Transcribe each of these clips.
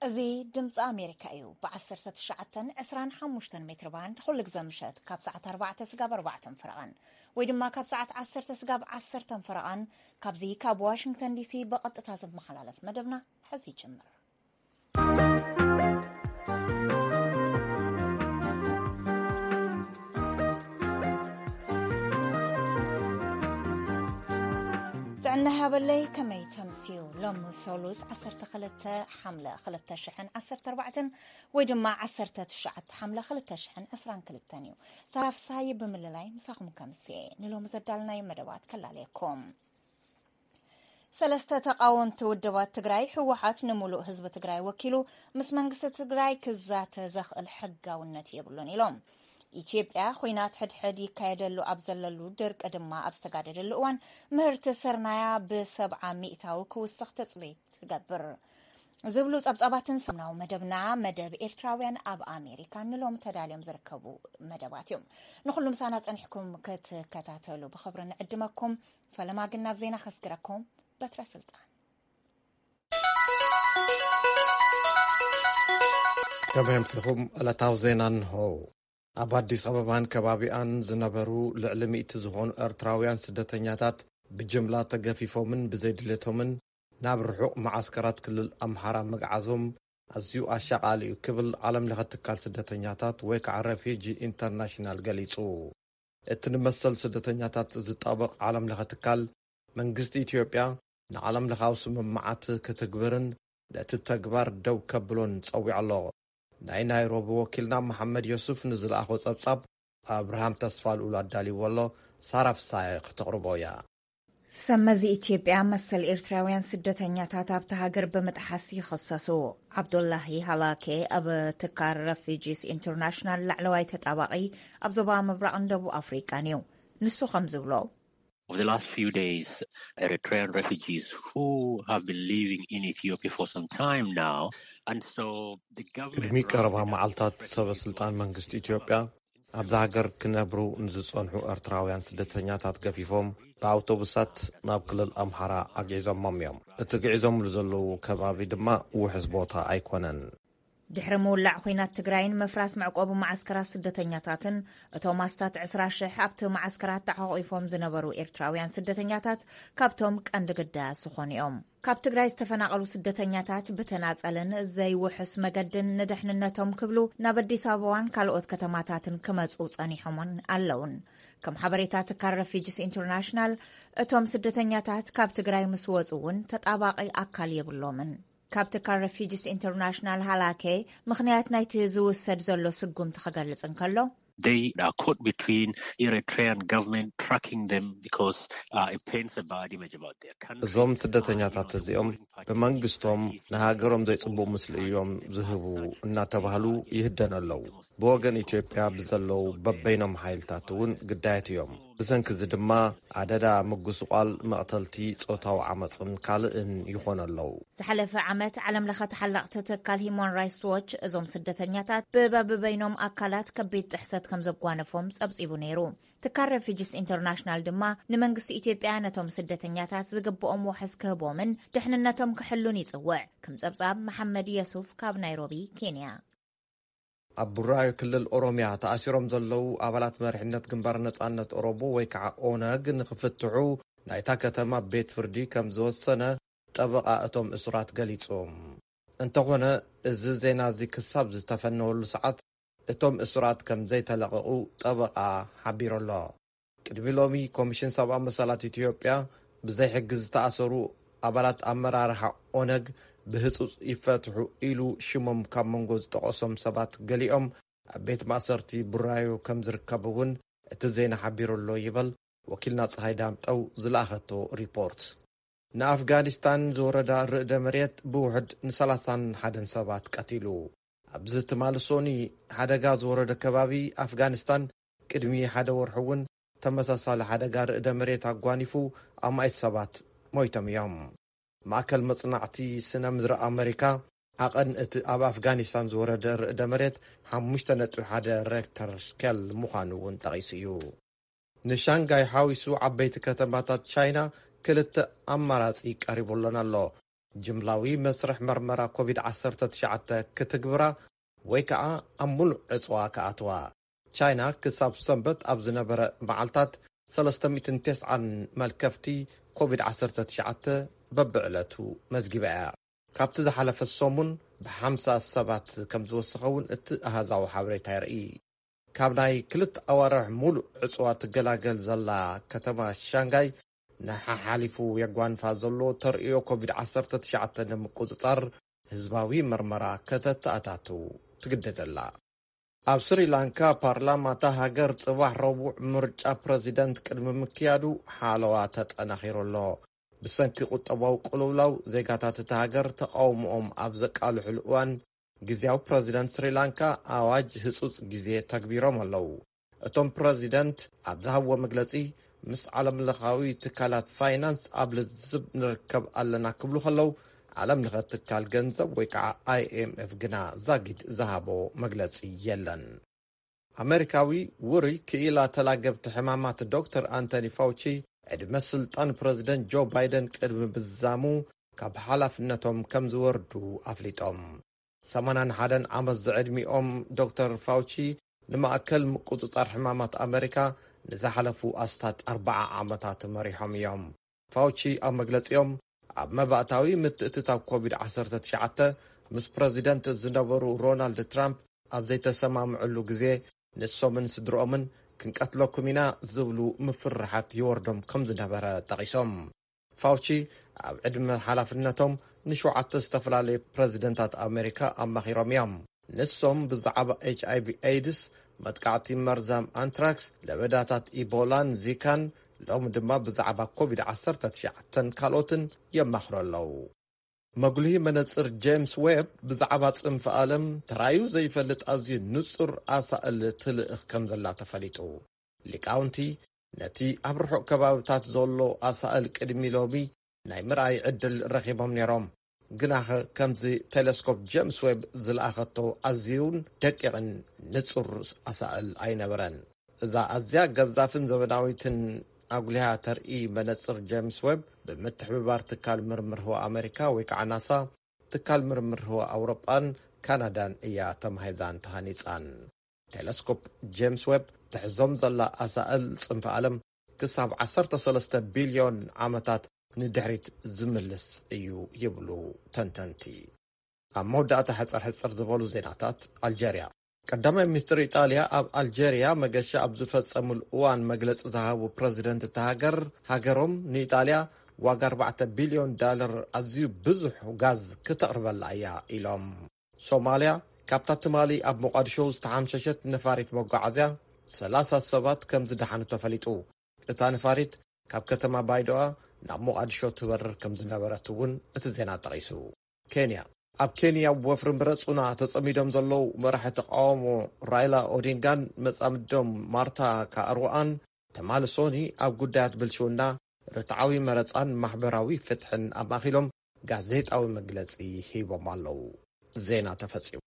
እዚ ድምፂ ኣሜሪካ እዩ። ብ19፣ 25 ሜትር ባንድ ኩሉ ግዘ ምሸት ካብ ሰዓት ኣርባዕተ ስጋብ ኣርባዕተን ፈረቓን ወይ ድማ ካብ ሰዓት ዓሰርተ ስጋብ ዓሰርተን ፈረቓን ካብዚ ካብ ዋሽንግተን ዲሲ ብቐጥታ ዝመሓላለፍ መደብና ሕዚ ይጅምር። ጥዕና ሃበለይ፣ ከመይ ተምስዩ? ሎም ሰሉስ ዓሰርተ ክልተ ሓምለ ክልተ ሽሕን ዓሰርተ ኣርባዕተን ወይ ድማ ዓሰርተ ትሽዓተ ሓምለ ክልተ ሽሕን ዕስራን ክልተን እዩ። ሳራ ፍስሃየ ብምልላይ ምሳኹም ከምስየ ንሎሚ ዘዳልናዮ መደባት ከላለየኩም። ሰለስተ ተቓወምቲ ውድባት ትግራይ፣ ህወሓት ንሙሉእ ህዝቢ ትግራይ ወኪሉ ምስ መንግስቲ ትግራይ ክዛተ ዘኽእል ሕጋውነት የብሉን ኢሎም። ኢትዮጵያ ኹናት ሕድሕድ ይካየደሉ ኣብ ዘለሉ፣ ድርቂ ድማ ኣብ ዝተጋደደሉ እዋን ምህርቲ ስርናያ ብሰብዓ ሚእታዊ ክውስኽ ትፅቢት ትገብር ዝብሉ ጸብጻባትን ሰሙናዊ መደብና፣ መደብ ኤርትራውያን ኣብ ኣሜሪካ ንሎም ተዳልዮም ዝርከቡ መደባት እዮም። ንኹሉ ምሳና ጸኒሕኩም ክትከታተሉ ብኽብሪ ንዕድመኩም። ፈለማ ግን ናብ ዜና ከስግረኩም። በትረ ስልጣን። ከመይ ኣምሲኹም? ዕለታዊ ዜና እንሆ። ኣብ ኣዲስ ኣበባን ከባቢኣን ዝነበሩ ልዕሊ ሚእቲ ዝኾኑ ኤርትራውያን ስደተኛታት ብጅምላ ተገፊፎምን ብዘይድሌቶምን ናብ ርሑቕ መዓስከራት ክልል ኣምሓራ ምግዓዞም ኣዝዩ ኣሻቓሊ እዩ ክብል ዓለም ለኸ ትካል ስደተኛታት ወይ ከዓ ሬፊጂ ኢንተርናሽናል ገሊጹ። እቲ ንመሰል ስደተኛታት ዝጣበቕ ዓለም ለኸ ትካል፣ መንግስቲ ኢትዮጵያ ንዓለም ለኻዊ ስምምዓት ክትግብርን ነቲ ተግባር ደው ከብሎን ጸዊዑ ኣሎ። ናይ ናይሮቢ ወኪልና መሓመድ ዮሱፍ ንዝለኣኾ ጸብጻብ ኣብርሃም ተስፋ ልኡል ኣዳልይዎ ኣሎ። ሳራ ፍሳሐ ክተቕርቦ እያ። ሰመዚ ኢትዮጵያ መሰል ኤርትራውያን ስደተኛታት ኣብቲ ሃገር ብምጥሓስ ይኽሰሱ። ዓብዱላሂ ሃላኬ ኣብ ትካል ረፊጂስ ኢንተርናሽናል ላዕለዋይ ተጣባቒ ኣብ ዞባ ምብራቕን ደቡብ ኣፍሪቃን እዩ። ንሱ ከም ዝብሎ፣ Over the last few days, Eritrean refugees who have been living in Ethiopia for some time now, and so the government ቅድሚ ቀረባ መዓልታት ሰበ ስልጣን መንግስቲ ኢትዮጵያ ኣብዛ ሃገር ክነብሩ ንዝጸንሑ ኤርትራውያን ስደተኛታት ገፊፎም ብኣውቶቡሳት ናብ ክልል ኣምሓራ ኣግዒዞሞም እዮም። እቲ ግዒዞምሉ ዘለዉ ከባቢ ድማ ውሑስ ቦታ ኣይኮነን። ድሕሪ ምውላዕ ኹናት ትግራይን ምፍራስ መዕቆቢ መዓስከራት ስደተኛታትን፣ እቶም ኣስታት ዕስራ ሽሕ ኣብቲ መዓስከራት ተሓቑፎም ዝነበሩ ኤርትራውያን ስደተኛታት ካብቶም ቀንዲ ግዳያት ዝኾኑ እዮም። ካብ ትግራይ ዝተፈናቐሉ ስደተኛታት ብተናጸልን ዘይውሑስ መገድን ንደሕንነቶም ክብሉ ናብ ኣዲስ ኣበባን ካልኦት ከተማታትን ክመጹ ጸኒሖምን ኣለውን። ከም ሓበሬታ ትካል ረፊጂስ ኢንተርናሽናል፣ እቶም ስደተኛታት ካብ ትግራይ ምስ ወጹ እውን ተጣባቒ ኣካል የብሎምን። ካብ ትካል ረፊጂስ ኢንተርናሽናል ሃላኬ ምኽንያት ናይቲ ዝውሰድ ዘሎ ስጉምቲ ክገልጽ እንከሎ፣ They are caught between Eritrean government tracking them because, uh, it paints a bad image about their country. እዞም ስደተኛታት እዚኦም ብመንግስቶም ንሃገሮም ዘይጽቡቕ ምስሊ እዮም ዝህቡ እናተባህሉ ይህደኑ ኣለዉ። ብወገን ኢትዮጵያ ብዘለዉ በበይኖም ሓይልታት እውን ግዳያት እዮም። ብሰንኪ እዚ ድማ ኣደዳ ምጉስቋል፣ መቕተልቲ፣ ጾታዊ ዓመፅን ካልእን ይኾኑ ኣለዉ። ዝሓለፈ ዓመት ዓለም ለኸ ተሓለቕቲ ትካል ሂማን ራይትስ ዎች እዞም ስደተኛታት ብበብበይኖም ኣካላት ከቢድ ጥሕሰት ከም ዘጓነፎም ጸብጺቡ ነይሩ። ትካል ሬፊጂስ ኢንተርናሽናል ድማ ንመንግስቲ ኢትዮጵያ ነቶም ስደተኛታት ዝግብኦም ዋሕስ ክህቦምን ድሕንነቶም ክሕሉን ይጽውዕ። ከም ጸብጻብ መሓመድ የሱፍ ካብ ናይሮቢ፣ ኬንያ። ኣብ ቡራዩ ክልል ኦሮሚያ ተኣሲሮም ዘለዉ ኣባላት መሪሕነት ግንባር ነጻነት ኦሮሞ ወይ ከዓ ኦነግ ንክፍትሑ ናይታ ከተማ ቤት ፍርዲ ከም ዝወሰነ ጠበቓ እቶም እሱራት ገሊጹ። እንተኾነ፣ እዚ ዜና እዚ ክሳብ ዝተፈነወሉ ሰዓት እቶም እሱራት ከም ዘይተለቐቑ ጠበቓ ሓቢሩ ኣሎ። ቅድሚ ሎሚ ኮሚሽን ሰብኣዊ መሰላት ኢትዮጵያ ብዘይ ሕጊ ዝተኣሰሩ ኣባላት ኣመራርሓ ኦነግ ብህጹጽ ይፈትሑ ኢሉ ሽሞም ካብ መንጎ ዝጠቐሶም ሰባት ገሊኦም ኣብ ቤት ማእሰርቲ ቡራዩ ከም ዝርከቡ እውን እቲ ዜና ሓቢሩ ኣሎ ይበል ወኪልና ፀሃይ ዳምጠው ዝለኣኸቶ ሪፖርት። ንኣፍጋኒስታን ዝወረዳ ርእደ መሬት ብውሕድ ን31 ሰባት ቀቲሉ። ኣብዚ ትማሊ ሶኒ ሓደጋ ዝወረደ ከባቢ ኣፍጋኒስታን ቅድሚ ሓደ ወርሒ እውን ተመሳሳሊ ሓደጋ ርእደ መሬት ኣጓኒፉ ኣማኢት ሰባት ሞይቶም እዮም። ማእከል መጽናዕቲ ስነ ምድሪ ኣመሪካ ዓቐን እቲ ኣብ ኣፍጋኒስታን ዝወረደ ርእደ መሬት ሓሙሽተ ነጥቢ ሓደ ሬክተር ስኬል ምዃኑ እውን ጠቒሱ እዩ። ንሻንጋይ ሓዊሱ ዓበይቲ ከተማታት ቻይና ክልተ ኣማራጺ ቀሪቡለን ኣሎ። ጅምላዊ መስርሕ መርመራ ኮቪድ ዓሰርተ ትሽዓተ ክትግብራ ወይ ከዓ ኣብ ሙሉእ ዕፅዋ ክኣትዋ። ቻይና ክሳብ ሰንበት ኣብ ዝነበረ መዓልታት ሰለስተ ሚእትን ተስዓን መልከፍቲ ኮቪድ ዓሰርተ ትሽዓተ በብዕለቱ መዝጊባ እያ። ካብቲ ዝሓለፈ ሰሙን ብሓምሳ ሰባት ከም ዝወሰኸ እውን እቲ ኣሃዛዊ ሓበሬታ የርኢ። ካብ ናይ ክልተ ኣዋርሕ ሙሉእ ዕፅዋ ትገላገል ዘላ ከተማ ሻንጋይ ንሓሓሊፉ የጓንፋ ዘሎ ተርእዮ ኮቪድ ዓሰርተ ትሽዓተ ንምቁፅፃር ህዝባዊ መርመራ ከተተኣታቱ ትግደደላ። ኣብ ስሪላንካ ፓርላማ እታ ሃገር ጽባሕ ረቡዕ ምርጫ ፕረዚደንት ቅድሚ ምክያዱ ሓለዋ ተጠናኺሩ ኣሎ። ብሰንኪ ቁጠባዊ ቅልውላው ዜጋታት እታ ሃገር ተቃውሞኦም ኣብ ዘቃልሕሉ እዋን ግዜያዊ ፕረዚደንት ስሪላንካ ኣዋጅ ህጹጽ ግዜ ተግቢሮም ኣለዉ። እቶም ፕረዚደንት ኣብ ዝሃብዎ መግለጺ ምስ ዓለምለኻዊ ትካላት ፋይናንስ ኣብ ልዝብ ንርከብ ኣለና ክብሉ ከለዉ ዓለም ለኸ ትካል ገንዘብ ወይ ከዓ ኣይኤምኤፍ ግና ዛጊድ ዝሃቦ መግለጺ የለን። ኣመሪካዊ ውሩይ ክኢላ ተላገብቲ ሕማማት ዶክተር ኣንቶኒ ፋውቺ ዕድመ ስልጣን ፕረዚደንት ጆ ባይደን ቅድሚ ምዛሙ ካብ ሓላፍነቶም ከም ዝወርዱ ኣፍሊጦም። ሰማንያን ሓደን ዓመት ዝዕድሚኦም ዶክተር ፋውቺ ንማእከል ምቁጽጻር ሕማማት ኣመሪካ ንዝሓለፉ ኣስታት ኣርባዓ ዓመታት መሪሖም እዮም። ፋውቺ ኣብ መግለጺኦም ኣብ መባእታዊ ምትእትታው ኮቪድ ዓሰርተ ትሽዓተ ምስ ፕረዚደንት ዝነበሩ ሮናልድ ትራምፕ ኣብ ዘይተሰማምዕሉ ግዜ ንሶምን ስድርኦምን ክንቀትለኩም ኢና ዝብሉ ምፍርሓት ይወርዶም ከም ዝነበረ ጠቒሶም። ፋውቺ ኣብ ዕድመ ሓላፍነቶም ንሸውዓተ ዝተፈላለዩ ፕረዚደንታት ኣሜሪካ ኣማኺሮም እዮም። ንሶም ብዛዕባ ኤች ኣይ ቪ ኤድስ፣ መጥቃዕቲ መርዛም ኣንትራክስ፣ ለበዳታት ኢቦላን ዚካን፣ ሎሚ ድማ ብዛዕባ ኮቪድ ዓሰርተ ትሽዓተን ካልኦትን የማኽሩ ኣለዉ። መጉልሂ መነጽር ጄምስ ዌብ ብዛዕባ ጽንፈ ዓለም ተራዩ ዘይፈልጥ ኣዝዩ ንጹር ኣሳእል ትልእኽ ከም ዘላ ተፈሊጡ። ሊቃውንቲ ነቲ ኣብ ርሑቕ ከባብታት ዘሎ ኣሳእል ቅድሚ ሎሚ ናይ ምርኣይ ዕድል ረኺቦም ነይሮም። ግናኸ ከምዚ ቴሌስኮፕ ጄምስ ዌብ ዝለኣኸቶ ኣዝዩን ደቂቕን ንጹር ኣሳእል ኣይነበረን። እዛ ኣዝያ ገዛፍን ዘመናዊትን ኣጉሊሃ ተርኢ መነጽር ጄምስ ዌብ ብምትሕብባር ትካል ምርምር ህዋ ኣሜሪካ ወይ ከዓ ናሳ፣ ትካል ምርምር ህዋ ኣውሮጳን ካናዳን እያ ተማሂዛን ተሃኒጻን። ቴለስኮፕ ጄምስ ዌብ ትሕዞም ዘላ ኣሳእል ጽንፈ ዓለም ክሳብ ዓሰርተ ሰለስተ ቢልዮን ዓመታት ንድሕሪት ዝምልስ እዩ ይብሉ ተንተንቲ። ኣብ መወዳእታ ሕጽር ሕጽር ዝበሉ ዜናታት ኣልጀርያ። ቀዳማይ ሚኒስትር ኢጣልያ ኣብ ኣልጀርያ መገሻ ኣብ ዝፈጸሙሉ እዋን መግለጺ ዝሃቡ ፕረዚደንት እታ ሃገር፣ ሃገሮም ንኢጣልያ ዋጋ ኣርባዕተ ቢልዮን ዳለር ኣዝዩ ብዙሕ ጋዝ ክተቕርበላ እያ ኢሎም። ሶማልያ፣ ካብታ ትማሊ ኣብ ሞቓዲሾ ዝተሓምሸሸት ነፋሪት መጓዓዝያ ሰላሳ ሰባት ከም ዝደሓኑ ተፈሊጡ። እታ ነፋሪት ካብ ከተማ ባይዶኣ ናብ ሞቓዲሾ ትበርር ከም ዝነበረት እውን እቲ ዜና ጠቒሱ። ኬንያ፣ ኣብ ኬንያ ወፍሪ ምረጹና ተጸሚዶም ዘለዉ መራሒ ተቃውሞ ራይላ ኦዲንጋን መጻምዶም ማርታ ካሩኣን ትማሊ ሶኒ ኣብ ጉዳያት ብልሽውና፣ ርትዓዊ መረጻን ማሕበራዊ ፍትሕን ኣማእኪሎም ጋዜጣዊ መግለጺ ሂቦም ኣለዉ። ዜና ተፈጺሙ።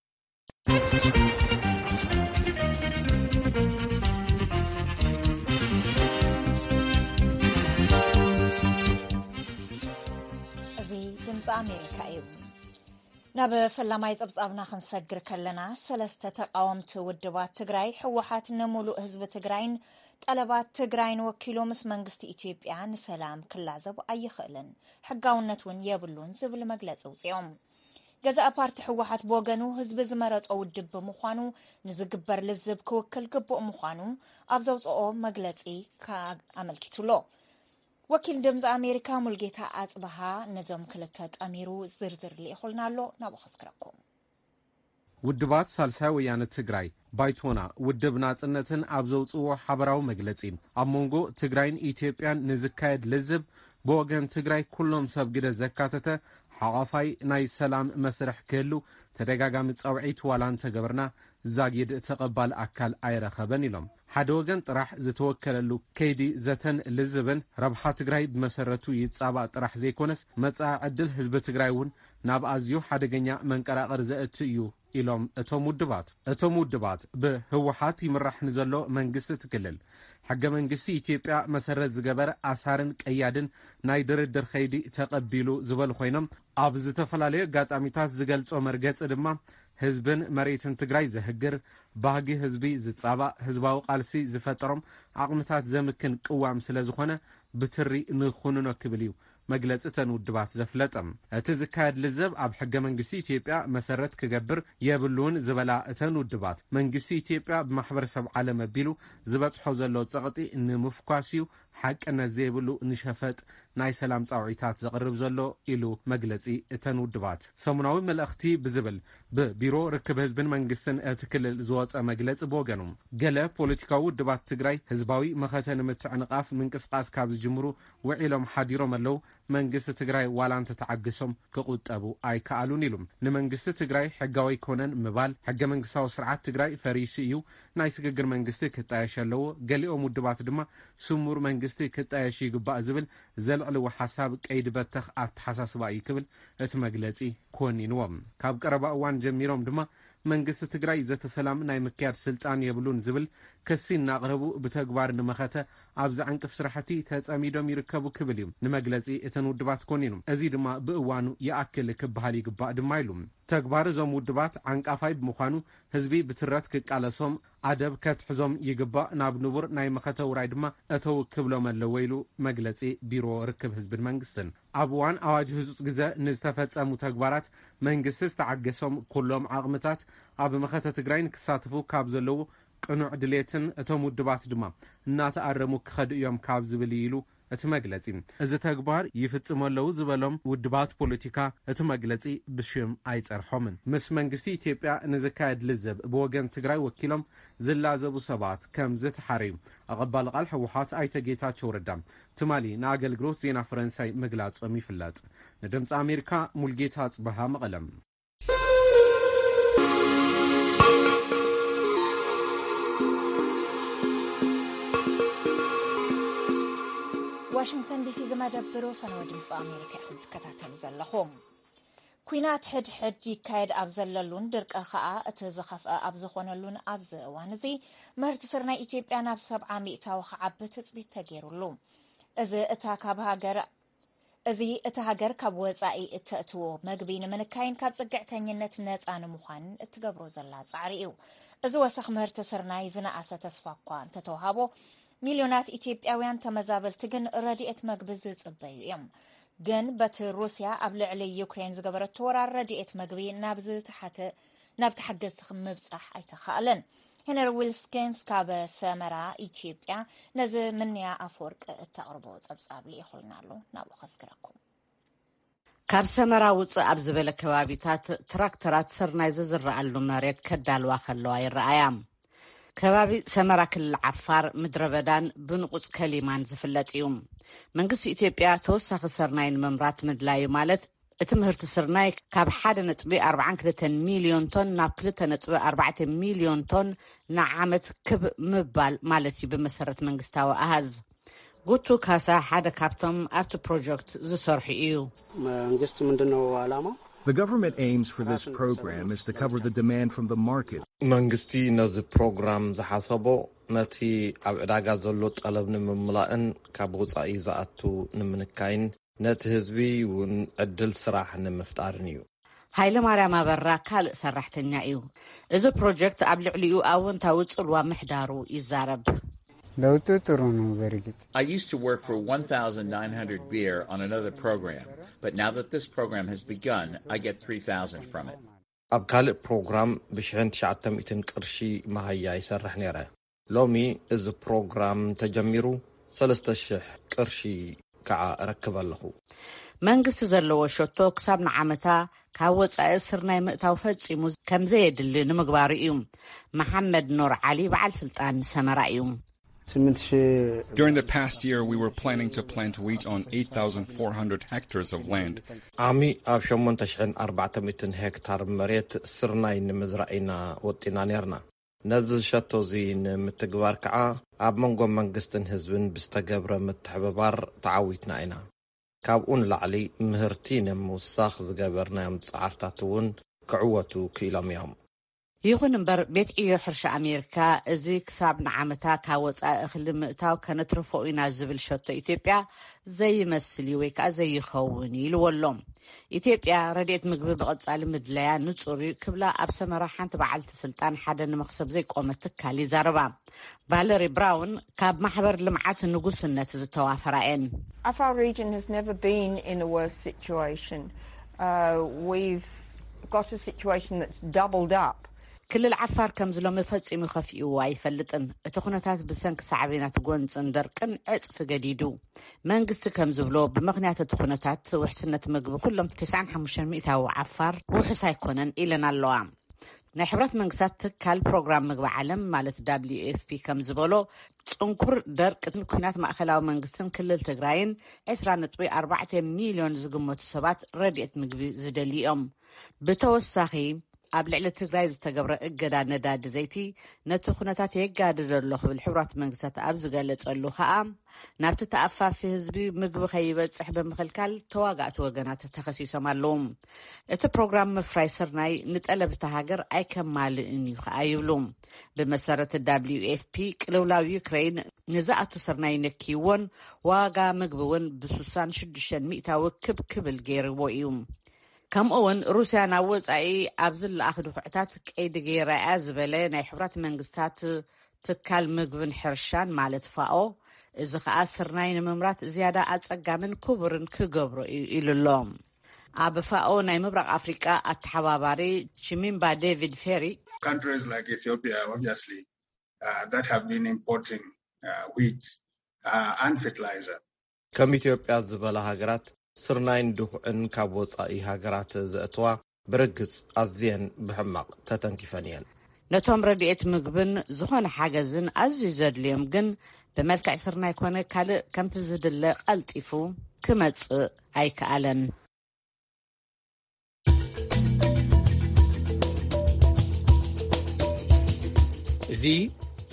እዚ ድምፂ ኣሜሪካ እዩ። ናብ ፈላማይ ጸብጻብና ክንሰግር ከለና፣ ሰለስተ ተቃወምቲ ውድባት ትግራይ፣ ህወሓት ንሙሉእ ህዝቢ ትግራይን ጠለባት ትግራይን ወኪሉ ምስ መንግስቲ ኢትዮጵያ ንሰላም ክላዘብ ኣይኽእልን፣ ሕጋውነት እውን የብሉን ዝብል መግለጺ ኣውጺኦም። ገዛኢ ፓርቲ ህወሓት ብወገኑ፣ ህዝቢ ዝመረጾ ውድብ ብምዃኑ ንዝግበር ልዝብ ክውክል ግቡእ ምዃኑ ኣብ ዘውጽኦ መግለጺ ኣመልኪቱ ኣሎ። ወኪል ድምፂ ኣሜሪካ ሙልጌታ ኣጽብሃ ነዞም ክልተ ጠሚሩ ዝርዝር ልኢኹልና ኣሎ፣ ናብኡ ከስግረኩም። ውድባት ሳልሳይ ወያነ ትግራይ፣ ባይቶና፣ ውድብ ናጽነትን ኣብ ዘውጽዎ ሓበራዊ መግለጺ፣ ኣብ መንጎ ትግራይን ኢትዮጵያን ንዝካየድ ልዝብ ብወገን ትግራይ ኩሎም ሰብ ግደ ዘካተተ ሓቋፋይ ናይ ሰላም መስርሕ ክህሉ ተደጋጋሚ ጻውዒት ዋላ እንተገበርና፣ ዛጊድ ተቐባሊ ኣካል ኣይረኸበን ኢሎም። ሓደ ወገን ጥራሕ ዝተወከለሉ ከይዲ ዘተን ልዝብን ረብሓ ትግራይ ብመሰረቱ ይጻባእ ጥራሕ ዘይኮነስ፣ መጻኢ ዕድል ህዝቢ ትግራይ እውን ናብ ኣዝዩ ሓደገኛ መንቀራቐር ዘእቱ እዩ ኢሎም እቶም ውድባት። እቶም ውድባት ብህወሓት ይምራሕ ንዘሎ መንግስቲ እቲ ክልል ሕገ መንግስቲ ኢትዮጵያ መሰረት ዝገበረ ኣሳርን ቀያድን ናይ ድርድር ከይዲ ተቐቢሉ ዝበሉ ኮይኖም፣ ኣብ ዝተፈላለዩ ኣጋጣሚታት ዝገልጾ መርገጺ ድማ ህዝብን መሬትን ትግራይ ዘህግር፣ ባህጊ ህዝቢ ዝጻባእ፣ ህዝባዊ ቃልሲ ዝፈጠሮም ዓቕምታት ዘምክን ቅዋም ስለ ዝኾነ ብትሪ ንኹንኖ ክብል እዩ መግለጺ እተን ውድባት ዘፍለጠ። እቲ ዝካየድ ልዘብ ኣብ ሕገ መንግስቲ ኢትዮጵያ መሰረት ክገብር የብሉን ዝበላ እተን ውድባት፣ መንግስቲ ኢትዮጵያ ብማሕበረሰብ ዓለም ኣቢሉ ዝበጽሖ ዘሎ ጸቕጢ ንምፍኳስ እዩ ሓቅነት ዘይብሉ ንሸፈጥ ናይ ሰላም ጻውዒታት ዘቕርብ ዘሎ ኢሉ መግለጺ እተን ውድባት። ሰሙናዊ መልእኽቲ ብዝብል ብቢሮ ርክብ ህዝብን መንግስትን እቲ ክልል ዝወጸ መግለጺ ብወገኑ፣ ገለ ፖለቲካዊ ውድባት ትግራይ ህዝባዊ መኸተ ንምትዕንቓፍ ምንቅስቓስ ካብ ዝጅምሩ ውዒሎም ሓዲሮም ኣለዉ። መንግስቲ ትግራይ ዋላ እንተተዓግሶም ክቑጠቡ ኣይከኣሉን ኢሉ። ንመንግስቲ ትግራይ ሕጋዊ ኣይኮነን ምባል፣ ሕገ መንግስታዊ ስርዓት ትግራይ ፈሪሱ እዩ፣ ናይ ስግግር መንግስቲ ክጣየሽ ኣለዎ። ገሊኦም ውድባት ድማ ስሙር መንግስቲ ክጣየሽ ይግባእ ዝብል ዘልዕልዎ ሓሳብ ቀይዲ በተኽ ኣተሓሳስባ እዩ ክብል እቲ መግለጺ ኮኒንዎ። ካብ ቀረባ እዋን ጀሚሮም ድማ መንግስቲ ትግራይ ዘተ ሰላም ናይ ምክያድ ስልጣን የብሉን ዝብል ክሲ እናቕረቡ ብተግባር ንመኸተ ኣብ ዘዕንቅፍ ስራሕቲ ተጸሚዶም ይርከቡ ክብል እዩ ንመግለጺ እተን ውድባት ኮኒኑ። እዚ ድማ ብእዋኑ ይኣክል ክበሃል ይግባእ ድማ ኢሉ። ተግባር እዞም ውድባት ዓንቃፋይ ብምዃኑ ህዝቢ ብትረት ክቃለሶም ኣደብ ከትሕዞም ይግባእ፣ ናብ ንቡር ናይ መኸተ ውራይ ድማ እተው ክብሎም ኣለዎ ኢሉ መግለጺ ቢሮ ርክብ ህዝብን መንግስትን። ኣብ እዋን ኣዋጅ ህጹጽ ግዘ ንዝተፈጸሙ ተግባራት መንግስቲ ዝተዓገሶም ኩሎም ዓቕምታት ኣብ መኸተ ትግራይ ንክሳተፉ ካብ ዘለዉ ቅኑዕ ድሌትን እቶም ውድባት ድማ እናተኣረሙ ክኸዱ እዮም ካብ ዝብል እዩ ኢሉ እቲ መግለጺ። እዚ ተግባር ይፍጽሙ ኣለዉ ዝበሎም ውድባት ፖለቲካ እቲ መግለጺ ብሽም ኣይጸርሖምን። ምስ መንግስቲ ኢትዮጵያ ንዝካየድ ልዘብ ብወገን ትግራይ ወኪሎም ዝላዘቡ ሰባት ከም ዝተሓረዩ ኣቐባሊ ቃል ህወሓት ኣይተ ጌታቸው ረዳ ትማሊ ንኣገልግሎት ዜና ፈረንሳይ ምግላጾም ይፍለጥ። ንድምፂ ኣሜሪካ ሙልጌታ ጽበሃ መቐለም። ዋሽንግተን ዲሲ ዝመደብሩ ፈነወ ድምፂ ኣሜሪካ ኢኹም ትከታተሉ ዘለኹም። ኲናት ሕድሕድ ይካየድ ኣብ ዘለሉን ድርቂ ከኣ እቲ ዝኸፍአ ኣብ ዝኾነሉን ኣብዚ እዋን እዚ ምህርቲ ስርናይ ኢትዮጵያ ናብ ሰብዓ ሚእታዊ ክዓቢ ትፅቢት ተገይሩሉ። እዚ እታ ካብ ሃገር እዚ እታ ሃገር ካብ ወጻኢ እተእትዎ መግቢ ንምንካይን ካብ ጽግዕተኝነት ነጻ ንምዃን እትገብሮ ዘላ ጻዕሪ እዩ። እዚ ወሰኽ ምህርቲ ስርናይ ዝነኣሰ ተስፋ እኳ እንተተዋሃቦ፣ ሚልዮናት ኢትዮጵያውያን ተመዛበልቲ ግን ረድኤት መግቢ ዝጽበዩ እዮም። ግን በቲ ሩስያ ኣብ ልዕሊ ዩክሬን ዝገበረቶ ወራር ረድኤት መግቢ ናብ ዝተሓተ ናብ ተሓገዝቲ ምብጻሕ ኣይተኻእለን። ሄነሪ ዊልስኪንስ ካብ ሰመራ ኢትዮጵያ ነዚ ምንያ ኣፈወርቂ እተቕርቦ ጸብጻብ ልኢኹልና ኣሎ። ናብኡ ከስግረኩም። ካብ ሰመራ ውፅእ ኣብ ዝበለ ከባቢታት ትራክተራት ስርናይ ዝዝረኣሉ መሬት ከዳልዋ ከለዋ ይረኣያ። ከባቢ ሰመራ ክልል ዓፋር ምድረ በዳን ብንቑፅ ከሊማን ዝፍለጥ እዩ። መንግስቲ ኢትዮጵያ ተወሳኺ ስርናይ ንምምራት ምድላዩ ማለት እቲ ምህርቲ ስርናይ ካብ ሓደ ነጥቢ ኣርባዓን ክልተን ሚልዮን ቶን ናብ ክልተ ነጥቢ ኣርባዕተ ሚልዮን ቶን ንዓመት ክብ ምባል ማለት እዩ ብመሰረት መንግስታዊ ኣሃዝ። ጉቱ ካሳ ሓደ ካብቶም ኣብቲ ፕሮጀክት ዝሰርሑ እዩ። መንግስት ምንድን ነው ዓላማው? The government aims for this program is to cover the demand from the market. መንግስቲ ነዚ ፕሮግራም ዝሓሰቦ ነቲ ኣብ ዕዳጋ ዘሎ ጠለብ ንምምላእን ካብ ወፃኢ ዝኣቱ ንምንካይን ነቲ ህዝቢ እውን ዕድል ስራሕ ንምፍጣርን እዩ። ሃይለማርያም ኣበራ ካልእ ሰራሕተኛ እዩ። እዚ ፕሮጀክት ኣብ ልዕሊኡ ኣወንታዊ ጽልዋ ምሕዳሩ ይዛረብ። ለውጡ ጥሩ ነው። በእርግጥ I used to work for one thousand nine hundred birr on another program, but now that this program has begun, I get three thousand from it. ኣብ ካልእ ፕሮግራም ብሽሕን ትሽዓተ ሚእትን ቅርሺ መሃያ ይሰርሕ ነይረ። ሎሚ እዚ ፕሮግራም ተጀሚሩ ሰለስተ ሽሕ ቅርሺ ከዓ እረክብ ኣለኹ። መንግስቲ ዘለዎ ሸቶ ክሳብ ንዓመታ ካብ ወፃኢ ስርናይ ምእታው ፈጺሙ ከምዘየድሊ ንምግባሩ እዩ። መሓመድ ኑር ዓሊ በዓል ስልጣን ሰመራ እዩ። ስምንት ሺህ During the past year, we were planning to plant wheat on eight thousand four hundred hectares of land. ዓሚ ኣብ ሸሞንተ ሽሕን ኣርባዕተ ሚእትን ሄክታር መሬት ስርናይ ንምዝራእ ኢና ወጢና ነርና። ነዚ ሸቶ እዚ ንምትግባር ከዓ ኣብ መንጎ መንግስትን ህዝብን ብዝተገብረ ምትሕብባር ተዓዊትና ኢና። ካብኡ ንላዕሊ ምህርቲ ንምውሳኽ ዝገበርናዮም ፃዕርታት እውን ክዕወቱ ክኢሎም እዮም። ይኹን እምበር፣ ቤት ዕዮ ሕርሻ ኣሜሪካ፣ እዚ ክሳብ ንዓመታ ካብ ወጻኢ እኽሊ ምእታው ከነትርፎ ኢና ዝብል ሸቶ ኢትዮጵያ ዘይመስል እዩ ወይ ከዓ ዘይኸውን እዩ ኢልዎ ኣሎ። ኢትዮጵያ ረድኤት ምግቢ ብቐጻሊ ምድላያ ንጹር እዩ ክብላ ኣብ ሰመራ ሓንቲ በዓልቲ ስልጣን ሓደ ንመኽሰብ ዘይቆመ ትካል ይዛረባ። ቫለሪ ብራውን ካብ ማሕበር ልምዓት ንጉስነት ዝተዋፈራ እየን። Afar region has never been in a worse situation. Uh, we've got a situation that's doubled up. ክልል ዓፋር ከም ዝሎሚ ፈጺሙ ከፊእዎ ኣይፈልጥን። እቲ ኩነታት ብሰንኪ ሳዕቤናት ጎንጽን ደርቅን ዕጽፊ ገዲዱ። መንግስቲ ከም ዝብሎ፣ ብምኽንያት እቲ ኩነታት ውሕስነት ምግቢ ኩሎም ተስዓን ሓሙሽተን ሚእታዊ ዓፋር ውሑስ ኣይኮነን ኢለን ኣለዋ። ናይ ሕብረት መንግስታት ትካል ፕሮግራም ምግቢ ዓለም ማለት ደብሊዩ ኤፍ ፒ ከም ዝበሎ፣ ጽንኩር ደርቅን ኩናት ማእከላዊ መንግስትን ክልል ትግራይን ዕስራ ነጥቢ ኣርባዕተ ሚልዮን ዝግመቱ ሰባት ረድኤት ምግቢ ዝደልዩ እዮም። ብተወሳኺ፣ ኣብ ልዕሊ ትግራይ ዝተገብረ እገዳ ነዳዲ ዘይቲ ነቲ ኩነታት የጋድዶ ኣሎ ክብል ሕቡራት መንግስታት ኣብ ዝገለጸሉ ከኣ፣ ናብቲ ተኣፋፊ ህዝቢ ምግቢ ከይበጽሕ ብምኽልካል ተዋጋእቲ ወገናት ተኸሲሶም ኣለዉ። እቲ ፕሮግራም ምፍራይ ስርናይ ንጠለብ እታ ሃገር ኣይከማልእን እዩ ከኣ ይብሉ። ብመሰረት ደብሊዩ ኤፍ ፒ፣ ቅልውላው ዩክሬን ንዝኣቱ ስርናይ ነክይዎን ዋጋ ምግቢ እውን ብስሳን ሽዱሽተን ሚእታዊ ክብ ክብል ገይርዎ እዩ። ከምኡ እውን ሩስያ ናብ ወጻኢ ኣብ ዝለኣኽ ድኹዕታት ቀይዲ ገይራ እያ ዝበለ ናይ ሕቡራት መንግስታት ትካል ምግብን ሕርሻን ማለት ፋኦ፣ እዚ ኸኣ ስርናይ ንምምራት ዝያዳ ኣጸጋምን ክቡርን ክገብሮ እዩ ኢሉ ኣሎ። ኣብ ፋኦ ናይ ምብራቕ ኣፍሪቃ ኣተሓባባሪ ቺሚምባ ዴቪድ ፌሪ፣ Countries like Ethiopia, obviously, uh, that have been importing uh, wheat uh, and fertilizer. ከም ኢትዮጵያ ዝበላ ሃገራት ስርናይን ድኹዕን ካብ ወጻኢ ሃገራት ዘእትዋ ብርግጽ ኣዝየን ብሕማቕ ተተንኪፈን እየን። ነቶም ረድኤት ምግብን ዝኾነ ሓገዝን ኣዝዩ ዘድልዮም ግን ብመልክዕ ስርናይ ኮነ ካልእ ከምቲ ዝድለ ቀልጢፉ ክመጽእ ኣይከኣለን። እዚ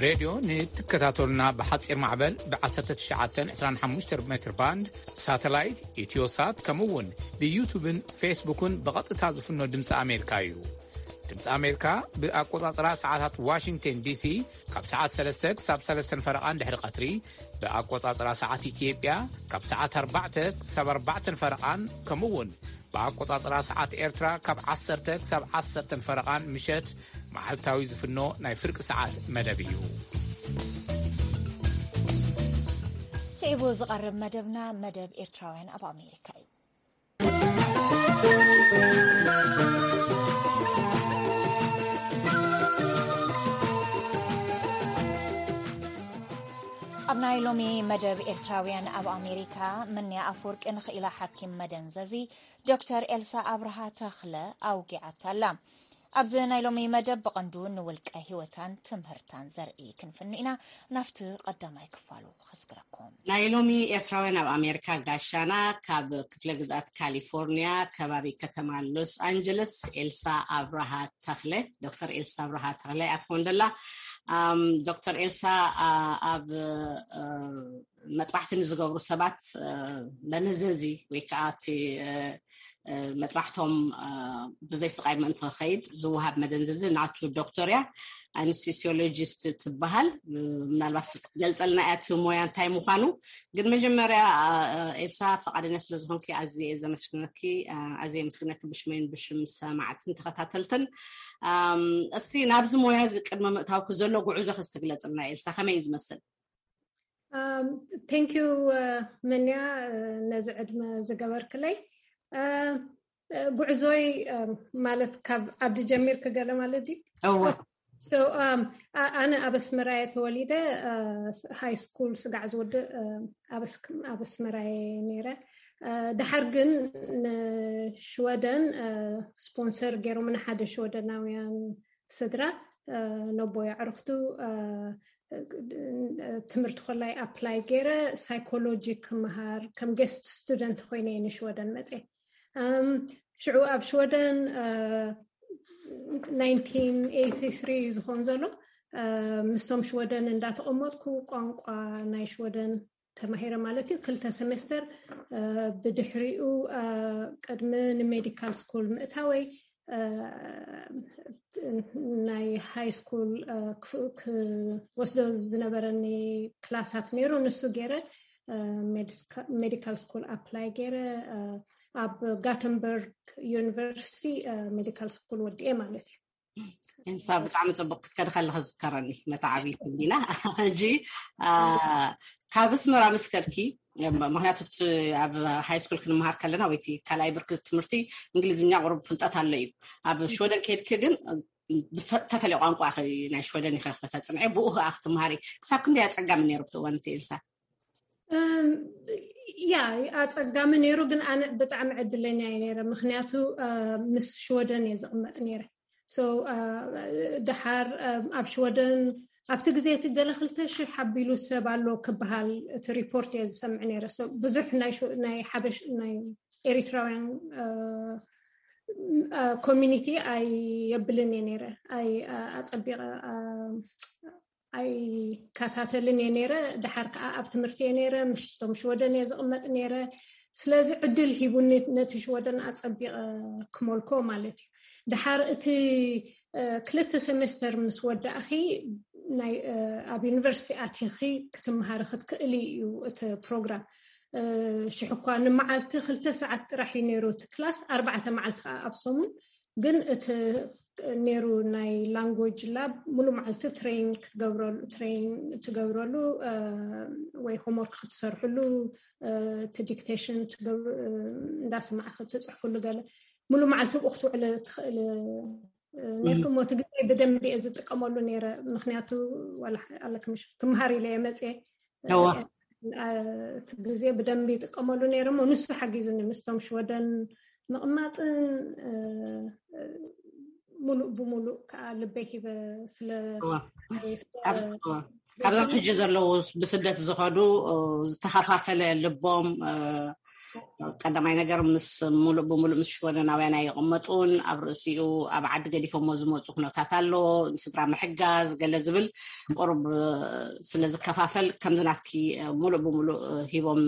ሬድዮ ንትከታተሉና ብሓጺር ማዕበል ብ ዓሰርተ ትሽዓተ ዕስራን ሓሙሽተ ሜትር ባንድ፣ ብሳተላይት፣ ኢትዮሳት፣ ከምኡ እውን ብዩቱብን ፌስቡክን ብቐጥታ ዝፍኖ ድምፂ ኣሜሪካ እዩ። ድምፂ ኣሜሪካ ብኣቆጻጽራ ሰዓታት ዋሽንግተን ዲሲ ካብ ሰዓት ሰለስተ ክሳብ ሰለስተን ፈረቓን ድሕሪ ቀትሪ፣ ብኣቆጻጽራ ሰዓት ኢትዮጵያ ካብ ሰዓት ኣርባዕተ ክሳብ ኣርባዕተን ፈረቓን፣ ከምኡ እውን ብኣቆጻጽራ ሰዓት ኤርትራ ካብ ዓሰርተ ክሳብ ዓሰርተን ፈረቓን ምሸት መዓልታዊ ዝፍኖ ናይ ፍርቂ ሰዓት መደብ እዩ። ስዒቡ ዝቐርብ መደብና መደብ ኤርትራውያን ኣብ ኣሜሪካ እዩ። ኣብ ናይ ሎሚ መደብ ኤርትራውያን ኣብ ኣሜሪካ፣ መንያ ኣፈወርቂ ንኽኢላ ሓኪም መደንዘዚ ዶክተር ኤልሳ ኣብርሃ ተኽለ ኣውጊዓታ ኣላ። ኣብዚ ናይ ሎሚ መደብ ብቐንዱ ንውልቀ ህይወታን ትምህርታን ዘርኢ ክንፍኑ ኢና። ናብቲ ቀዳማይ ክፋሉ ከስግረኩም። ናይ ሎሚ ኤርትራውያን ኣብ ኣሜሪካ ጋሻና ካብ ክፍለ ግዝኣት ካሊፎርኒያ ከባቢ ከተማ ሎስ ኣንጀለስ ኤልሳ ኣብርሃ ተኽለ፣ ዶክተር ኤልሳ ኣብርሃ ተኽለ እያ ትኾን ደላ። ኣም፣ ዶክተር ኤልሳ፣ ኣ፣ ኣብ፣ እ፣ መጥባሕቲ ንዝገብሩ ሰባት፣ እ፣ መደንዘዚ ወይ ከዓ እቲ፣ እ፣ እ፣ መጥባሕቶም፣ እ፣ ብዘይ ስቓይ ምእንቲ ክኸይድ ዝወሃብ መደንዘዚ ናቱ ዶክተር እያ። ኣንስቴሲዮሎጂስት ትበሃል። እ፣ ምናልባት ክትገልጸልና እያ እቲ ሞያ እንታይ ምዃኑ። ግን መጀመርያ፣ እ፣ ኤልሳ፣ ፈቓደኛ ስለ ዝኾንኪ ኣዝየ እየ ዘመስግነኪ፣ እ፣ ኣዝየ የመስግነኪ ብሽመይን ብሽም ሰማዕትን ተኸታተልትን። ኣም፣ እስቲ ናብዚ ሞያ እዚ ቅድሚ ምእታውኪ ዘሎ ጉዕዞ ከስትግለጽልና ኤልሳ፣ ከመይ እዩ ዝመስል? Um, thank you, uh, መንያ፣ uh፣ ነዚ ዕድመ ዝገበርክለይ። Uh፣ uh፣ ጉዕዞይ፣ um፣ ማለት ካብ ዓዲ ጀሚርክ ገለ ማለት ድዩ? እወ። So, um፣ ኣ-፣ ኣነ ኣብ ኣስመራ እየ ተወሊደ፣ uh፣ ሃይ ስኩል ስጋዕ ዝወድእ፣ uh፣ ኣብ ኣስ-፣ ኣብ ኣስመራ እየ ነይረ። Uh፣ ድሓር ግን ንሽወደን፣ uh፣ ስፖንሰር ገይሮም ንሓደ ሽወደናውያን ስድራ፣ እ፣ ነቦይ ኣዕርኽቱ፣ እ፣ ትምህርቲ ኮላይ ኣፕላይ ገይረ ሳይኮሎጂ ክመሃር ከም ጌስት ስቱደንት ኮይነ እየ ንሽወደን መፅየ። እም፣ ሽዑ ኣብ ሽወደን፣ እ፣ ናይንቲን ኤይቲ ስሪ ዝኸውን ዘሎ፣ እ፣ ምስቶም ሽወደን እንዳተቐመጥኩ ቋንቋ ናይ ሽወደን ተማሂረ ማለት እዩ። ክልተ ሴሜስተር፣ እ፣ ብድሕሪኡ፣ እ፣ ቅድሚ ንሜዲካል ስኩል ምእታወይ፣ ናይ ሃይ ስኩል ክወስዶ ዝነበረኒ ክላሳት ነይሩ። ንሱ ገይረ ሜዲካል ስኩል ኣፕላይ ገይረ ኣብ ጋተንበርግ ዩኒቨርሲቲ ሜዲካል ስኩል ወዲኤ ማለት እዩ። እንሳ ብጣዕሚ ፅቡቅ ክትከድ ከለካ ዝከረኒ መተዓቢት እንዲና ሕጂ ካብ ኣስመራ ምስ ከድኪ ምክንያቱ ኣብ ሃይ ስኩል ክንመሃር ከለና ወይ ካልኣይ ብርኪ ትምህርቲ እንግሊዝኛ ቁሩብ ፍልጠት ኣሎ እዩ። ኣብ ሽወደን ከድኪ ግን ተፈለየ ቋንቋ ናይ ሽወደን ኢኸ ከተፅንዐ ብኡ ከዓ ክትመሃሪ ክሳብ ክንደይ ኣፀጋሚ ነይሩ ብትእዋን እቲ እንሳ? ያ ኣፀጋሚ ነይሩ፣ ግን ኣነ ብጣዕሚ ዕድለኛ እየ ነይረ። ምክንያቱ ምስ ሽወደን እየ ዝቕመጥ ነይረ። ደሓር ኣብ ሽወደን ኣብቲ ግዜ እቲ ገለ ክልተ ሽሕ ሓቢሉ ሰብ ኣሎ ክበሃል እቲ ሪፖርት እየ ዝሰምዕ ነይረ። ብዙሕ ናይ ሓበሽ ናይ ኤሪትራውያን ኮሚኒቲ ኣይ የብልን እየ ነይረ። ኣይ ኣፀቢቐ ኣይከታተልን እየ ነይረ። ደሓር ከዓ ኣብ ትምህርቲ እየ ነይረ። ምሽቶም ሽወደን እየ ዝቕመጥ ነይረ። ስለዚ ዕድል ሂቡኒ ነቲ ሽወደን ኣፀቢቐ ክመልኮ ማለት እዩ። ደሓር እቲ ክልተ ሴሜስተር ምስ ወዳእኺ ኣብ ዩኒቨርሲቲ ኣቲኺ ክትምሃሪ ክትክእሊ እዩ እቲ ፕሮግራም። ሽሕ እኳ ንመዓልቲ ክልተ ሰዓት ጥራሕ እዩ ነይሩ እቲ ክላስ፣ ኣርባዕተ መዓልቲ ከዓ ኣብ ሰሙን። ግን እቲ ነይሩ ናይ ላንጉጅ ላብ ሙሉ መዓልቲ ትሬን ክትገብረሉ ትሬን ትገብረሉ ወይ ሆምወርክ ክትሰርሕሉ እቲ ዲክቴሽን እንዳሰማዕክ ትፅሕፍሉ ገለ ሙሉ መዓልቲ ብኡ ክትውዕል ትኽእል ነርኩም። እቲ ግዜ ብደንቢ እየ ዝጥቀመሉ ነይረ፣ ምክንያቱ ኣለክምሽ ክምሃር ኢለ እየ መፅየ። እቲ ግዜ ብደንቢ ይጥቀመሉ ነይረ እሞ ንሱ ሓጊዙኒ ምስቶም ሽወደን ምቕማጥን ሙሉእ ብሙሉእ ከዓ ልበይ ሂበ ስለ ካብዞም ሕጂ ዘለዉ ብስደት ዝኸዱ ዝተኸፋፈለ ልቦም ቀዳማይ ነገር ምስ ሙሉእ ብሙሉእ ምስ ሽወደናውያን ኣይቕመጡን። ኣብ ርእሲኡ ኣብ ዓዲ ገዲፎሞ ዝመፁ ኩነታት ኣሎ፣ ንስድራ ምሕጋዝ ገለ ዝብል ቁሩብ ስለ ዝከፋፈል ከምዚ ናትኪ ሙሉእ ብሙሉእ ሂቦም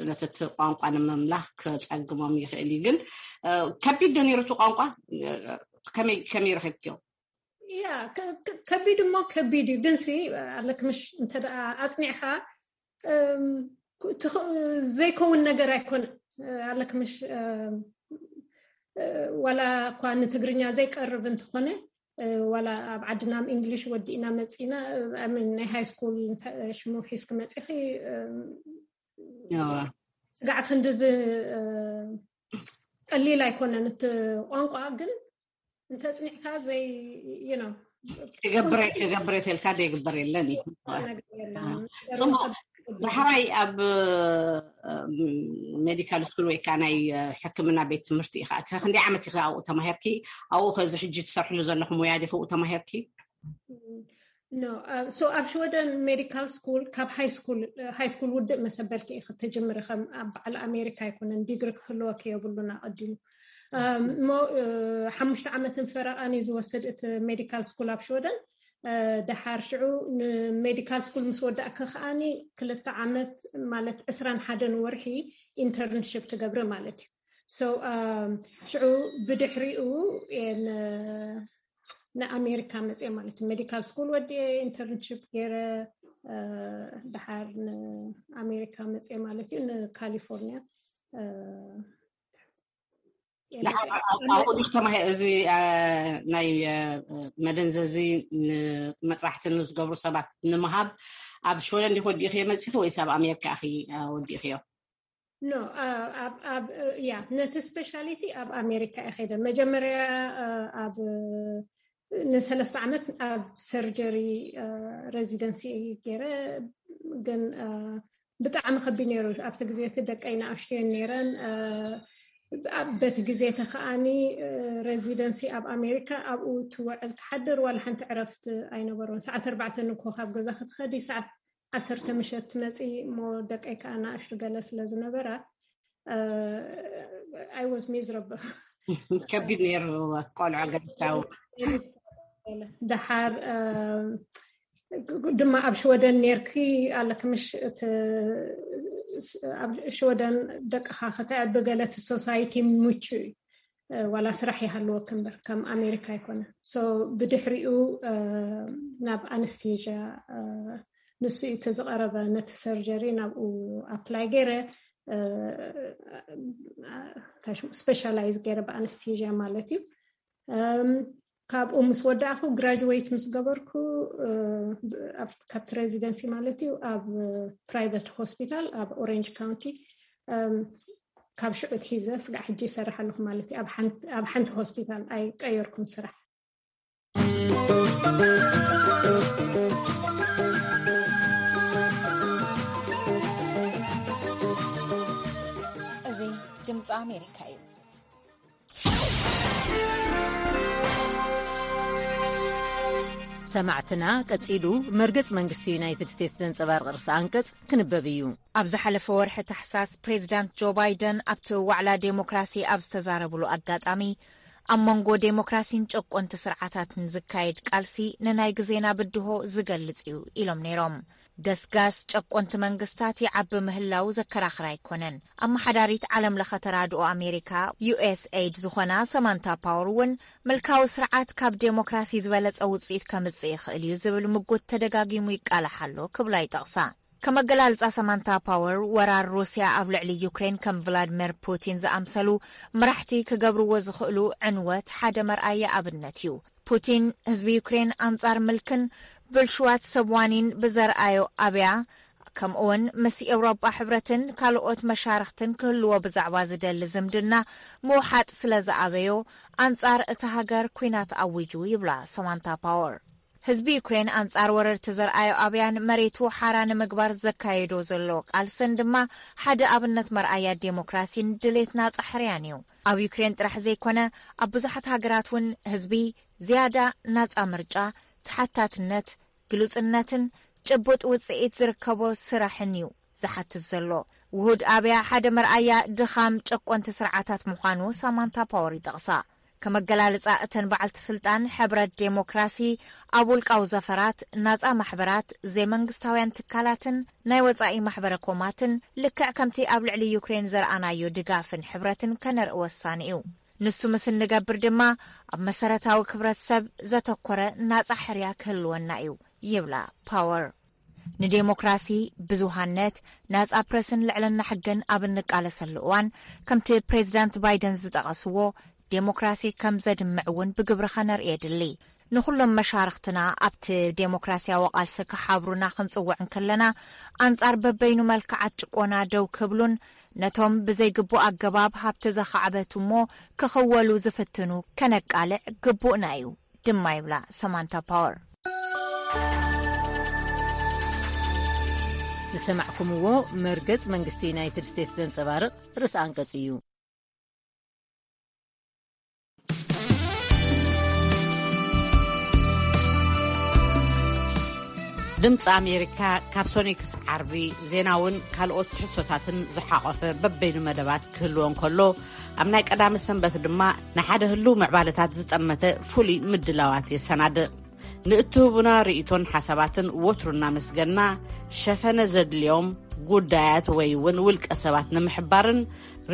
ነቲ ቋንቋ ንምምላኽ ክፀግሞም ይኽእል እዩ። ግን ከቢድ ዶ ነይሩ እቲ ቋንቋ? ከመይ ረኺብክዮ? ያ ከቢድ እሞ ከቢድ እዩ። ግን ሲ ኣለክ ምሽ እንተ ኣፅኒዕካ ዘይከውን ነገር ኣይኮነ ኣለክ ምሽ ዋላ እኳ ንትግርኛ ዘይቀርብ እንተኾነ ዋላ ኣብ ዓድና ብ እንግሊሽ ወዲእና መፂና ናይ ሃይ ስኩል ሽሙ ሒዝክ መፂኺ ስጋዕ ክንድዚ ቀሊል ኣይኮነን እቲ ቋንቋ። ግን እንተፅኒዕካ ዘይ ክገብረ ክገብረ ተልካ ዘይግበር የለን እዩ። ፅቡቅ። ዳሕራይ ኣብ ሜዲካል ስኩል ወይ ከዓ ናይ ሕክምና ቤት ትምህርቲ ኢካ ክንደይ ዓመት ኢካ ኣብኡ ተማሂርኪ? ኣብኡ ከዚ ሕጂ ትሰርሕሉ ዘለኹ ሙያ ዲክ ተማሂርኪ? ኣብ ሽወደን ሜዲካል ስኩል ካብ ሃይ ስኩል ውድእ መሰበልኪ ኢክ ተጀምሪ። ከም ኣብ በዓል ኣሜሪካ ኣይኮነን፣ ዲግሪ ክህልወኪ የብሉን ኣቀዲሙ። እሞ ሓሙሽተ ዓመትን ፈረቓን እዩ ዝወስድ እቲ ሜዲካል ስኩል ኣብ ሽወደን። ደሓር ሽዑ ንሜዲካል ስኩል ምስ ወዳእኪ ከዓኒ ክልተ ዓመት ማለት ዕስራን ሓደን ወርሒ ኢንተርንሽፕ ትገብሪ ማለት እዩ። ሽዑ ብድሕሪኡ ንኣሜሪካ መፅየ ማለት እዩ። ሜዲካል ስኩል ወዲየ ኢንተርንሽፕ ገይረ ደሓር ንኣሜሪካ መፅየ ማለት እዩ፣ ንካሊፎርኒያ። እዚ ናይ መደንዘዚ ንመጥባሕቲ ንዝገብሩ ሰባት ንምሃብ ኣብ ሽወደን ዲክ ወዲእኽዮ መፂኺ ወይስ ኣብ ኣሜሪካ ኢኺ ወዲእኽዮ? ኖ ያ ነቲ ስፔሻሊቲ ኣብ ኣሜሪካ እየ ከይደ መጀመርያ ኣብ ንሰለስተ ዓመት ኣብ ሰርጀሪ ሬዚደንሲ ገይረ። ግን ብጣዕሚ ከቢድ ነይሩ። ኣብቲ ግዜ እቲ ደቀይ ንኣሽቱየን ነይረን። በቲ ግዜ እቲ ከዓኒ ሬዚደንሲ ኣብ ኣሜሪካ ኣብኡ ትውዕል ትሓድር ዋላ ሓንቲ ዕረፍቲ ኣይነበሮን። ሰዓት ኣርባዕተ ንኮ ካብ ገዛ ክትኸዲ ሰዓት ዓሰርተ ምሸት ትመፂ እሞ ደቀይ ከዓ ንኣሽቱ ገለ ስለ ዝነበራ I was miserable። ከቢድ ነይሩ ቆልዑ ገርካው ደሓር ድማ ኣብ ሽወደን ነርኪ ኣለክ ምሽ እቲ ኣብ ሽወደን ደቅኻ ከተዕቢ ገለ እቲ ሶሳይቲ ምቹ እዩ። ዋላ ስራሕ ይሃልወክ እምበር ከም ኣሜሪካ ኣይኮነ። So ብድሕሪኡ ናብ ኣነስቴዥያ ንሱ እዩ እቲ ዝቐረበ። ነቲ ሰርጀሪ ናብኡ ኣፕላይ ገይረ፣ ስፔሻላይዝ ገይረ ብኣነስቴዥያ ማለት እዩ። ካብኡ ምስ ወዳእኩ፣ ግራጅዌት ምስ ገበርኩ፣ ካብቲ ሬዚደንሲ ማለት እዩ፣ ኣብ ፕራይቨት ሆስፒታል ኣብ ኦሬንጅ ካውንቲ ካብ ሽዑ ትሒዘ ስጋዕ ሕጂ ይሰርሕ ኣለኹ ማለት እዩ። ኣብ ሓንቲ ሆስፒታል ኣይቀየርኩን ስራሕ። እዚ ድምፂ ኣሜሪካ እዩ። ሰማዕትና፣ ቀጺሉ መርገጽ መንግስቲ ዩናይትድ ስቴትስ ዘንጸባርቕ ርእሰ ኣንቀጽ ክንበብ እዩ። ኣብ ዝሓለፈ ወርሒ ታሕሳስ፣ ፕሬዚዳንት ጆ ባይደን ኣብቲ ዋዕላ ዴሞክራሲ ኣብ ዝተዛረብሉ ኣጋጣሚ፣ ኣብ መንጎ ዴሞክራሲን ጨቆንቲ ስርዓታትን ዝካየድ ቃልሲ ንናይ ግዜና ብድሆ ዝገልጽ እዩ ኢሎም ነይሮም። ገስጋስ ጨቆንቲ መንግስታት ይዓቢ ምህላው ዘከራኽር ኣይኮነን። ኣመሓዳሪት ዓለም ለኸ ተራድኦ ኣሜሪካ፣ ዩ ኤስ ኤይድ ዝኾና ሰማንታ ፓወር እውን፣ ምልካዊ ስርዓት ካብ ዴሞክራሲ ዝበለጸ ውጽኢት ከምጽእ ይኽእል እዩ ዝብል ምጉት ተደጋጊሙ ይቃላሕ ኣሎ ክብላ ይጠቕሳ። ከም ኣገላልጻ ሰማንታ ፓወር፣ ወራር ሩስያ ኣብ ልዕሊ ዩክሬን ከም ቭላድሚር ፑቲን ዝኣምሰሉ መራሕቲ ክገብርዎ ዝኽእሉ ዕንወት ሓደ መርኣያ ኣብነት እዩ። ፑቲን ህዝቢ ዩክሬን ኣንጻር ምልክን ብልሽዋት ሰብ ዋኒን ብዘርኣዮ ኣብያ፣ ከምኡውን ምስ ኤውሮጳ ሕብረትን ካልኦት መሻርኽትን ክህልዎ ብዛዕባ ዝደሊ ዝምድና ምውሓጥ ስለ ዝኣበዮ፣ ኣንጻር እታ ሃገር ኲናት ኣዊጁ ይብላ ሰማንታ ፓወር። ህዝቢ ዩክሬን ኣንጻር ወረርቲ ዘርኣዮ ኣብያን መሬቱ ሓራ ንምግባር ዘካየዶ ዘሎ ቃልስን ድማ ሓደ ኣብነት መርኣያ ዴሞክራሲን ድሌት ናጻ ሕርያን እዩ። ኣብ ዩክሬን ጥራሕ ዘይኮነ፣ ኣብ ብዙሓት ሃገራት እውን ህዝቢ ዝያዳ ናጻ ምርጫ፣ ተሓታትነት፣ ግሉጽነትን ጭቡጥ ውጽኢት ዝርከቦ ስራሕን እዩ ዝሓትት ዘሎ። ውሁድ ኣብያ ሓደ መርኣያ ድኻም ጨቆንቲ ስርዓታት ምዃኑ ሳማንታ ፓወር ይጠቕሳ። ከም ኣገላልጻ እተን በዓልቲ ስልጣን፣ ሕብረት ዴሞክራሲ ኣብ ውልቃዊ ዘፈራት፣ ናጻ ማሕበራት፣ ዘይመንግስታውያን ትካላትን ናይ ወጻኢ ማሕበረ ኮማትን፣ ልክዕ ከምቲ ኣብ ልዕሊ ዩክሬን ዘርኣናዮ ድጋፍን ሕብረትን ከነርኢ ወሳኒ እዩ። ንሱ ምስ እንገብር ድማ፣ ኣብ መሰረታዊ ክብረት ሰብ ዘተኮረ ናጻ ሕርያ ክህልወና እዩ ይብላ ፓወር። ንዴሞክራሲ፣ ብዙሃነት፣ ናጻ ፕረስን ልዕልና ሕግን ኣብ እንቃለሰሉ እዋን፣ ከምቲ ፕሬዚዳንት ባይደን ዝጠቐስዎ፣ ዴሞክራሲ ከም ዘድምዕ እውን ብግብሪ ኸነርኢ የድሊ። ንኹሎም መሻርኽትና ኣብቲ ዴሞክራሲያዊ ቃልሲ ክሓብሩና ክንጽውዕ እንከለና፣ ኣንጻር በበይኑ መልክዓት ጭቆና ደው ክብሉን ነቶም ብዘይግቡእ ኣገባብ ሃብቲ ዘኻዕበቱ እሞ ክኽወሉ ዝፍትኑ ከነቃልዕ ግቡእና እዩ ድማ ይብላ ሰማንታ ፓወር። ዝሰማዕኩምዎ መርገጽ መንግስቲ ዩናይትድ ስቴትስ ዘንጸባርቕ ርእሰ ኣንቀጽ እዩ። ድምፂ ኣሜሪካ ካብ ሶኒ ክሳብ ዓርቢ ዜናውን ካልኦት ትሕዝቶታትን ዝሓቖፈ በበይኑ መደባት ክህልዎ እንከሎ፣ ኣብ ናይ ቀዳመ ሰንበት ድማ ንሓደ ህሉው ምዕባለታት ዝጠመተ ፍሉይ ምድላዋት የሰናድእ። ንእትህቡና ርእይቶን ሓሳባትን ወትሩ እናመስገንና፣ ሸፈነ ዘድልዮም ጉዳያት ወይ እውን ውልቀ ሰባት ንምሕባርን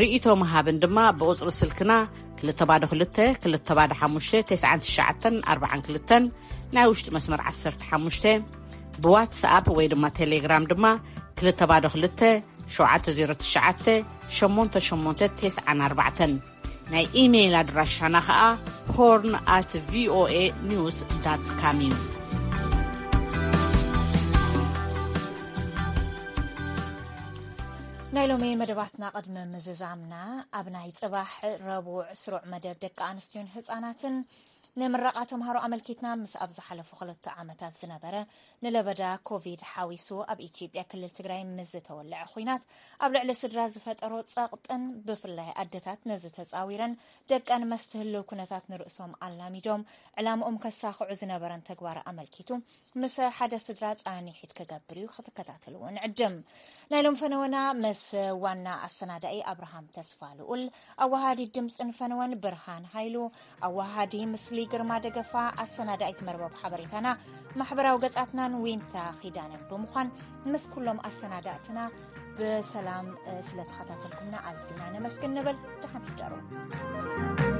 ርእይቶ ምሃብን ድማ ብቁጽሪ ስልክና ክልተ ባዶ ክልተ፣ ክልተ ባዶ ሓሙሽተ፣ ተስዓን ትሽዓተን ኣርባዓን ክልተን፣ ናይ ውሽጢ መስመር ዓሰርተ ሓሙሽተ፣ ብዋትስኣፕ ወይ ድማ ቴሌግራም ድማ ክልተ ባዶ ክልተ፣ ሸውዓተ ዜሮ ትሽዓተ፣ ሸሞንተ ሸሞንተ ተስዓን ኣርባዕተን። ናይ ኢሜይል ኣድራሻና ኸኣ ሆርን ኣት ቪኦኤ ኒውስ ዳት ካም እዩ። ናይ ሎሚ መደባትና ቅድሚ ምዝዛምና፣ ኣብ ናይ ጽባሕ ረቡዕ ስሩዕ መደብ ደቂ ኣንስትዮን ህጻናትን ንምረቓ ተምሃሮ ኣመልኪትና፣ ምስ ኣብ ዝሓለፉ ክልተ ዓመታት ዝነበረ ንለበዳ ኮቪድ ሓዊሱ ኣብ ኢትዮጵያ ክልል ትግራይ ምስ ዝተወልዐ ኹናት ኣብ ልዕሊ ስድራ ዝፈጠሮ ጸቕጥን፣ ብፍላይ ኣደታት ነዚ ተጻዊረን ደቀን መስትህልው ኩነታት ንርእሶም ኣላሚዶም ዕላምኦም ከሳኽዑ ዝነበረን ተግባር ኣመልኪቱ፣ ምስ ሓደ ስድራ ጻንሒት ክገብር እዩ፣ ክትከታተልዎ ንዕድም። ናይ ሎም ፈነወና ምስ ዋና ኣሰናዳኢ ኣብርሃም ተስፋ ልኡል፣ ኣዋሃዲ ድምፅን ፈነወን ብርሃን ሃይሉ፣ ኣዋሃዲ ምስሊ ግርማ ደገፋ፣ ኣሰናዳኢት መርበብ ሓበሬታና ማሕበራዊ ገጻትናን ዊንታ ኺዳነን ብምዃን ምስ ኩሎም ኣሰናዳእትና ብሰላም ስለተኸታተልኩምና ኣዚና ነመስግን ንብል። ደሓን ሕደሩ።